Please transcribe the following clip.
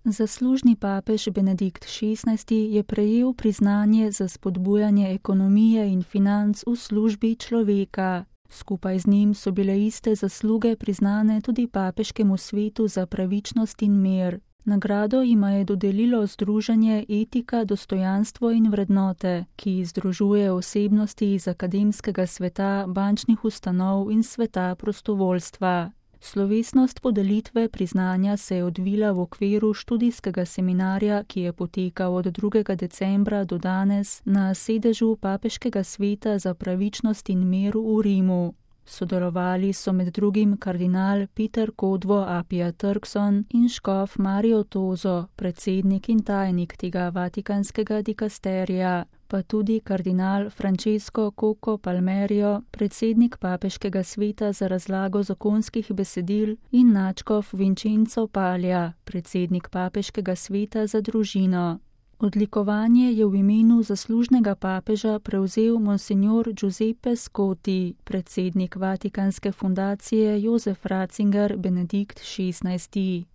Zaslužni papež Benedikt XVI je prejel priznanje za spodbujanje ekonomije in financ v službi človeka. Skupaj z njim so bile iste zasluge priznane tudi Papeškemu svetu za pravičnost in mir. Nagrado jima je dodelilo združenje Etika, dostojanstvo in vrednote, ki združuje osebnosti iz akademskega sveta, bančnih ustanov in sveta prostovoljstva. Slovesnost podelitve priznanja se je odvila v okviru študijskega seminarja, ki je potekal od 2. decembra do danes na sedežu Papeškega sveta za pravičnost in mir v Rimu. Sodelovali so med drugim kardinal Peter Kodvo Apia Turkson in škof Mario Tozo, predsednik in tajnik tega vatikanskega dikasterija, pa tudi kardinal Francesco Coco Palmerio, predsednik Papeškega sveta za razlago zakonskih besedil, in nadškof Vincenzo Palja, predsednik Papeškega sveta za družino. Odlikovanje je v imenu zaslužnega papeža prevzel monsignor Giuseppe Scotti, predsednik Vatikanske fundacije Josef Ratzinger Benedikt XVI.